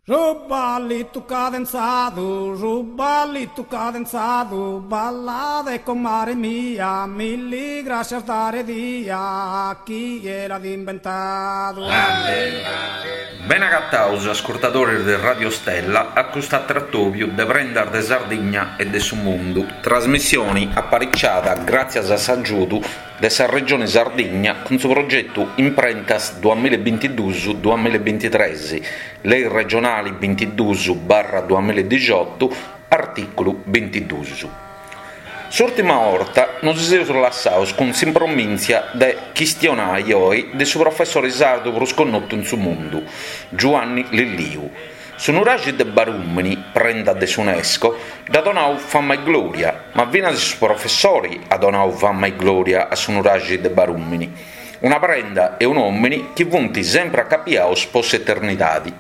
Su ballitu cadenzadu, su ballitu cadenzadu, ballade comare mia, milli grascias dare dia, chie l'at imbentadu. Bene agataus ascurtadores de Radio Stella a custu atru atobiu de Prendas de Sardigna e de su Mundu, trasmissioni apariciada gràtzias a s'agiudu de sa Regioni Sardigna cun su progetu Imprentas duamillabintiduus duamillabintitres, Lei regionali bintiduus barra duamilladixiotu, artìculu bintiduus. S'ùrtima 'orta nos seus lassaus cun s'impromìntzia de chistionai oi de su professori sardu prus connotu in su mundu, Giuanni Lilliu. Su nuraxi de Barùmini, prenda de s'Unesco, dd'at donau fama e glòria, ma finas su professori at donau fama e glòria a su nuraxi de Barùmini, una prenda e un'òmini chi funt sempri acapiaus po s'eternidadi.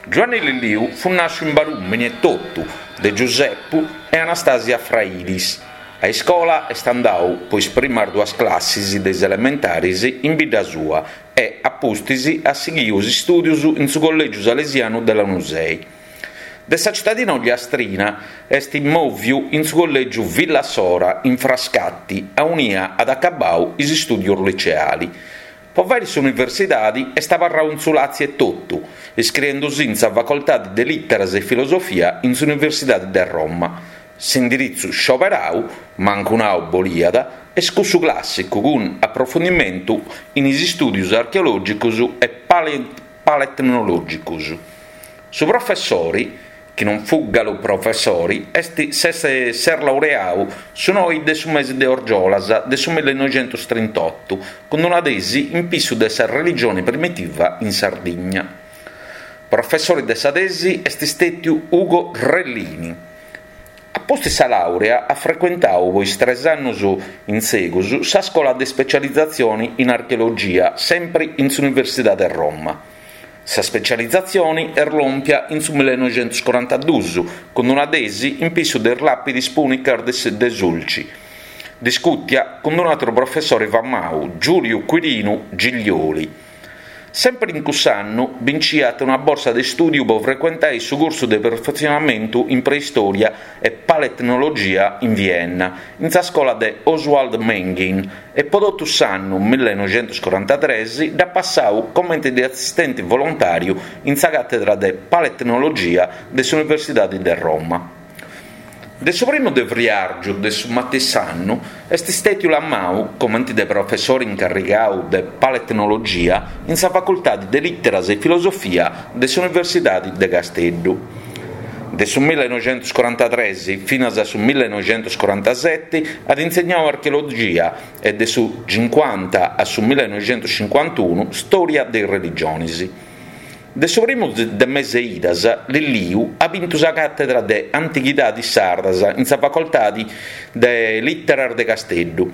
Giuanni Lilliu fut nàsciu in Barùmini etotu, de Giusepu e Anastasia Frailis. A iscola est andau po is primas duas classis de is elementaris in bidda sua e, a pustis, at sighiu is istùdius in su Collègiu Salesianu de Lanusei. De sa citadina ogliastrina est mòviu in su Collègiu Villa Sora in Frascati, aunia at acabau is istùdius liceali. Po fàiri s'universidadi est abarrau in su Làtziu etotu, iscriendusì in sa Facoltadi de Lìteras e Filosofia in s'Universidadi de Roma. S'indiritzu scioberau, mancu nau boliat, est cussu clàssicu cun aprofundimentu in is istùdius archeològicus e paletnològicus. Su professori, chi non fut galu professori, est s'est s'est laureau su noi de su mesi de orgiolas de su millinoixentus-trintotu cun una tesi in pissu de sa religioni primitiva in Sardigna. Professori de sa tesi est stètiu Ugo Rellini. A pustis sa làurea at frecuentau po is tres annus in segus sa scola de specializatzioni in archeologia sempri in s'Universidade de Roma. Sa specializatzioni est lòmpia in su millenoixentuscorantadus cun una tesi in pissu de is làpidis pùnicas de Sulci, discùtia cun un'àteru professori famau, Giùliu Quirinu Giglioli. Sempri in cuss'annu binciat una borsa de stùdiu po frecuentai su cursu de perfetzionamentu in preistòria e paletnologia in Vienna, in sa scola de Oswald Menghin, e po totu s'annu millenoixentuscorantatres dd'at passau comenti de assistenti volontàriu in sa càtedra de paletnologia de s'Universidadi de Roma. De su primu de friàrgiu de su matessi annu est stètiu lamau comenti de professori incarrigau de paletnologia in sa Facultadi de Lìteras e Filosofia de s'Universidadi de Casteddu. De su millenoixentuscorantatres finas a su millenoixentuscorantaseti at insegnau archeologia e de su cincuanta a su millenoixentuscincuantunu stòria de is religionis. De su primu de mese Idas, Lilliu at bintu sa càtedra de Antighidadis Sardas in sa Facoltadi de Lìteras de Casteddu.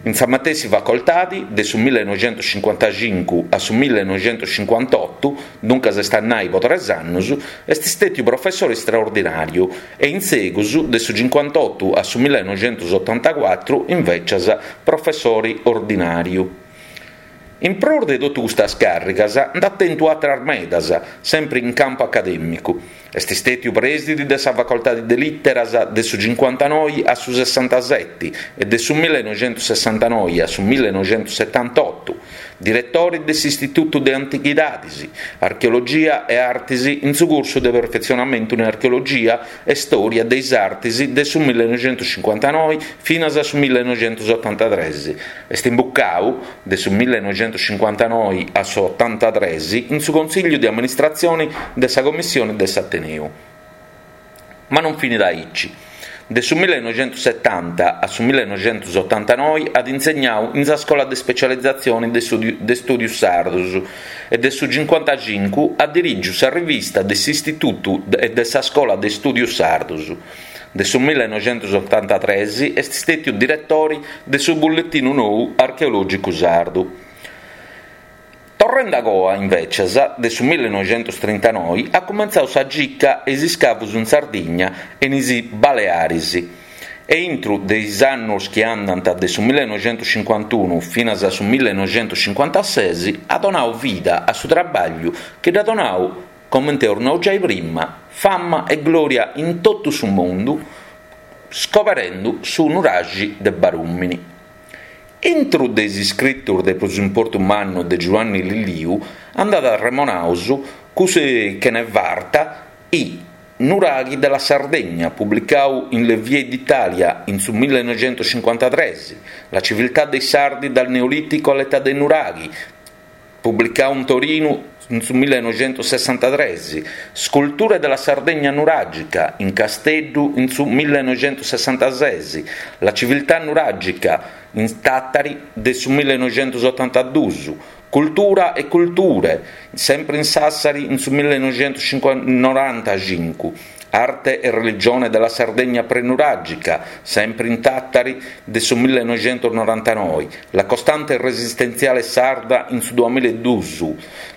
In sa matessi facoltadi, de su millenoixentuscincuantacincu a su millenoixentuscincuantotu, duncas est a nai po tres annus, est stètiu professori straordinàriu e in segus, de su cincuantotu a su millenoixentusotantacuatru, invècias, professori ordinàriu. In prus de totu custas càrrigas nd'at tentu àteras medas, sempri in campu acadèmicu. Est stètiu prèsidi de sa Facoltadi de Lìteras de su cincuantanoi a su sessantaseti e de su millenoixentussessantanoi a su millenoixentussetantotu, diretori de s'Istitutu de Antighidadis, Archeologia e Artis in su cursu de perfetzionamentu in Archeologia e Stòria de is Artis de su millenoixentuscincuantanoi finas a su millenoixentusotantatres. Est imbucau, de su millenoixentuscincuantanoi a s'otantatres, in su Consigliu de Amministratzioni de sa Commissioni de s'Ateneu. Ma non finit aici. De su millenoixentussetanta a su millenoixentusotantanoi at insegnau in sa Scola de Specializatzioni de Stùdius Sardus e de su cincuantacincu at dirìgiu sa rivista de s'Istitutu e de sa Scola de Stùdius Sardus. De su millenoixentusotantatres est stètiu diretori de su Bulletinu Nou Archeològicu Sardu. Torrendi agoa, invècias, de su millenoixentustrintanoi at cumentzau sa gica e is iscavus in Sardigna e in is Balearis e intru de is annus chi andant de su millenoixentuscincuantunu finas a su millenoixentuscincuantases at donau vida a su trabagliu chi dd'at donau. comente eus nau giai prima, fama e glòria in totu su mundu scoberendu su nuraxi de Barùmini. Intru de is iscritus de prus importu mannu de Giuanni Lilliu andat arremonaus cussu chene farta I Nuraghi della Sardegna, publicau in Le Vie d'Italia in su millenoixentuscincuantatres, La civiltà dei Sardi dal Neolitico all'età dei Nuraghi, publicau in Torinu in su millenoixentussessantatres, Sculture della Sardegna nuragica, in Casteddu in su millenoixentussessantases, La civiltà nuragica, in Tàtari de su millenoixentusotantadus, Cultura e culture, sempre in Sassari in su millenoixentusnorantacincu, Arte e religione della Sardegna prenuragica, sempre in Tàtari de su millenoixentusnorantanoi, La costante resistenziale sarda in su duamilaedus,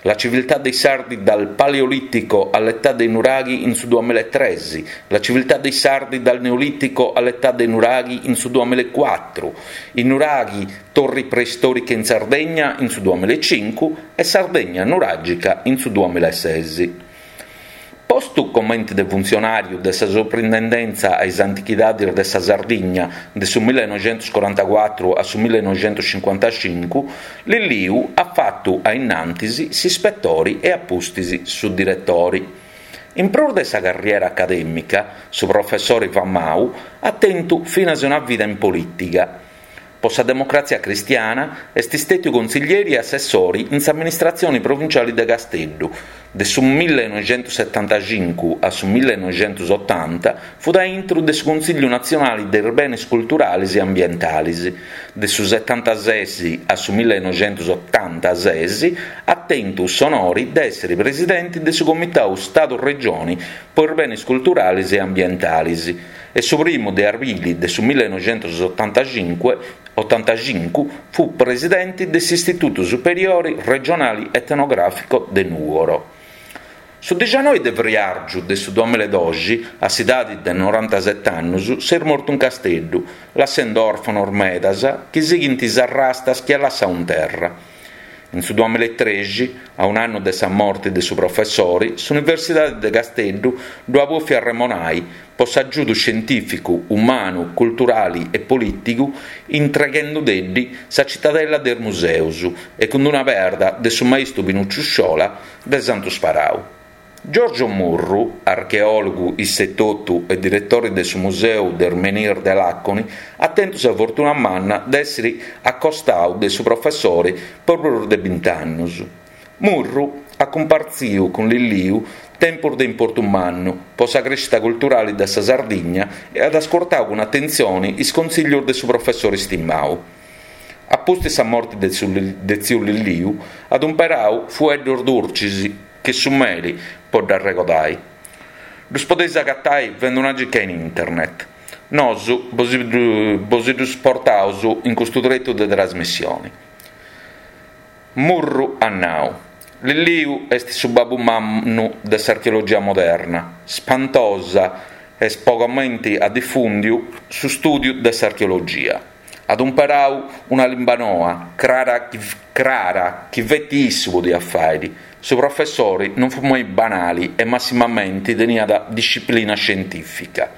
La civiltà dei Sardi dal Paleolitico all'età dei nuraghi in su duamilaetres, La civiltà dei Sardi dal Neolitico all'età dei nuraghi in su duamilaecuatru, I nuraghi, Torri preistoriche in Sardegna in su duamilaecincu e Sardegna nuragica in su duamilaeses. Postu comenti de funtzionàriu de sa Soprintendenza a is Antichidadis de sa Sardigna de su millenoixentuscorantacuatru a su millenoixentuscincuantacincu, Lilliu at fatu a innantis s'ispetori e a pustis su diretori. In prus de sa carriera acadèmica, su professori famau at tentu finas una vida in polìtiga. Po sa Democratzia Cristiana est istètiu consiglieri e assessori in s'amministratzioni provinciali de Casteddu. De su millenoixentussetantacincu a su millenoixentusotanta fut a intru de su Consigliu Natzionali de is Benes Culturalis e Ambientalis. De su setantases a su millenoixentusotantases at tentu s'onori de èssiri presidenti de su Comitau Stadu-Regioni po is Benes Culturalis e Ambientalis. E su primu de arbili de su millenoixentusotantacincu fut presidenti de s'Istitutu Superiori Regionali Etnografico de Nùgoro. Su dixanoi de friàrgiu de su duamilaedoxi, a s'idadi de norantaset'annus, s'est mortu in Casteddu, lassendu òrfanos medas chi sighint is arrastas chi at lassau in terra. In su duamilaetrexi, a un'annu de sa morti de su professori, s'Universidadi de Casteddu ddu at bòfiu arremonai po s'agiudu scientìficu, umanu, culturali e polìtigu intreghendudeddi sa Citadella de is Museus e cun una perda de su maistu Pinucciu Sciola de Santu Sparau. Giorgio Murru, archeòlogu isse etotu e diretori de su Museu de is Menhir de Làconi, at tentu sa fortuna manna de èssiri acostau de su professori po prus de bint'annus. Murru at cumpartziu cun Lilliu tempus de importu mannu po sa crèscida culturali de sa Sardigna e at ascurtau cun atentzioni is contzìllius de su professori stimau. A pustis sa morti de tziu Lilliu at umperau fueddus durcis che su meli po dd'arregodai. Ddus podeis agatai fendi una circa in internet. Nosu bosi ddus portaus in custu tretu de trasmissioni. Murru at nau, Lilliu est su babbu mannu de s'archeologia moderna, spantosa est po comenti at difùndiu su stùdiu de s'archeologia. At umperau una limba noa, crara crara chi feti issu podiat fàiri. Su professori non fut mai banali e massimamenti teniat disciplina scientìfica.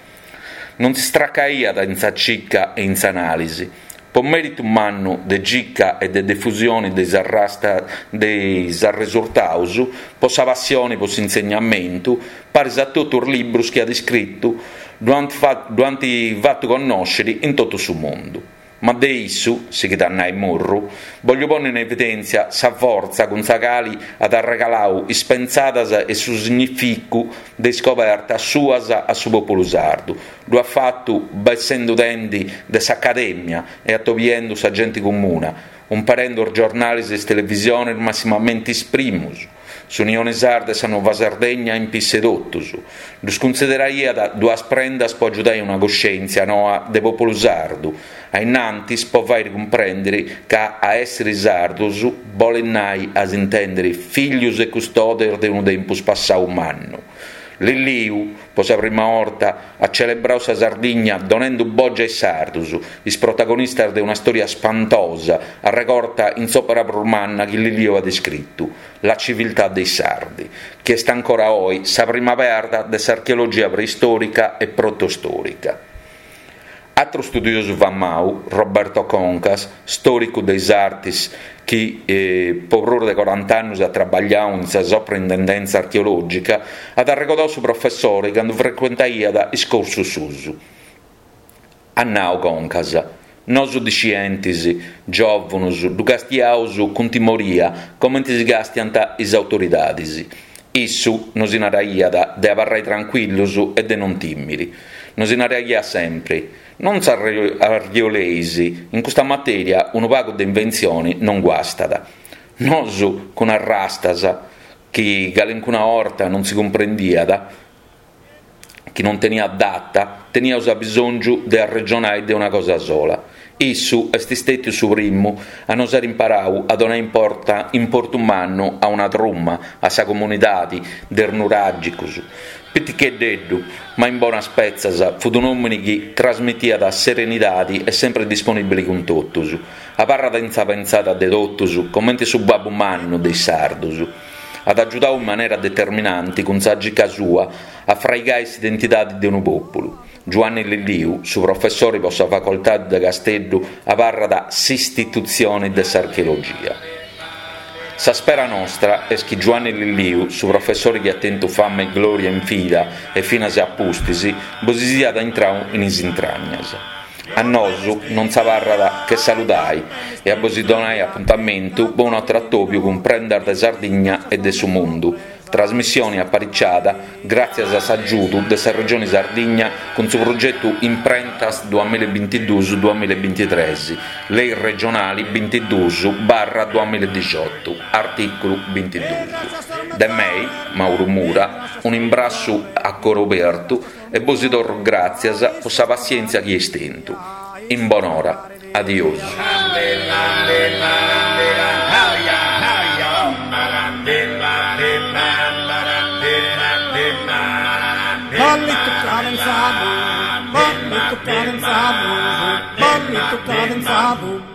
Non si stracaiat in sa cica e in s'anàlisi. Po mèritu mannu de cica e de difusioni de is arrastas de is arresurtaus, po sa passioni po s'insegnamentu, paris a totu is librus chi at iscritu, ddu ant ddu ant fatu connòsciri in totu su mundu. Ma de issu, sighit a nai Murru, bogliu ponni in evidèntzia sa fortza cun sa cali at arregalau is pentzadas e su significu de is scobertas suas a su pòpulu sardu. Ddu at fatu bessendudendi de s'acadèmia e atobiendu sa genti comuna, umperendu is giornalis e is televisionis massimamenti is primus, S'Unione Sarda e sa Nuova Sardegna in pisse totus, ddus cunsideraiat duas prendas po agiudai una cuscèntzia noa de pòpulu sardu, a innantis po fàiri cumprèndiri ca a èssiri sardus bolit nai a s'intèndiri fìglius e custodes de unu tempus passau mannu. Lilliu, po sa prima 'orta, at celebrau sa Sardigna donendu bogi a is sardus, is protagonistas de una storia spantosa arregorta in s'òpera prus manna chi Lilliu at iscritu, La civiltà dei Sardi, chi est ancora oi sa prima perda de s'archeologia preistòrica e protostòrica. Atru studiosu famau, Roberto Concas, stòricu de is artis chi po prus de corant'annus at trabagliau in sa Soprintendenza Archeològica, at arregodau su professori candu frecuentaiat is cursus suus. At nau Concas, Nosu discientis, giòvunus, ddu castiaus cun timoria comenti si castiant is autoridadis. Issu nosi naraiat de abarrai trancuillus e de non tìmiri. Nosi naraiat sempri, Non s'arrioleis, in custa matèria unu pagu de inventzioni non guastat. Nosu cun arrastas, chi calincuna 'orta non si cumprendiat, chi non teniat data, teniaus abisòngiu de arregionai de una cosa sola. Issu est istètiu su primu a nos àere imparau a donai importa importu mannu a una truma, a sa comunidadi de is nuràgicus. Piticheddeddu, ma in bonas petzas, fut un'òmini chi trasmitiat serenidadi e sempri disponìbili cun totus. Abarrat in sa pentzada de totus comente su babbu mannu de is sardus. At agiudau in manera determinanti cun sa gica sua a fraigai s'identidadi de unu pòpulu. Giuanni Lilliu, su professori po sa facoltadi de Casteddu abarrat s'istitutzioni de s'archeologia. Sa spera nostra est chi Giuanni Lilliu, su professori chi at tentu fama e glòria in vida e finas a pustis, bosi siat intrau in is intragnas. A nosu non s'abarrat che saludai e a bosi donai apuntamentu po un'atru atobiu cun Prendas de Sardigna e de su Mundu, trasmissioni apariciada gràtzias a s'agiudu de sa Regioni Sardigna cun su progetu Imprentas duamillabintiduus duamillabintitres, Lei regionali bintiduus barra duamilladixiotu, artìculu bintiduus. De mei, Mauru Mura, un'imbrassu a coru obertu e bosi torru gràtzias po sa passièntzia chi eis tentu. In bonora. Adiosu.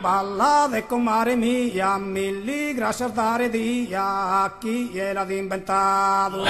Ballade comare mia, milli grascias dare dia a chie l'at imbentadu.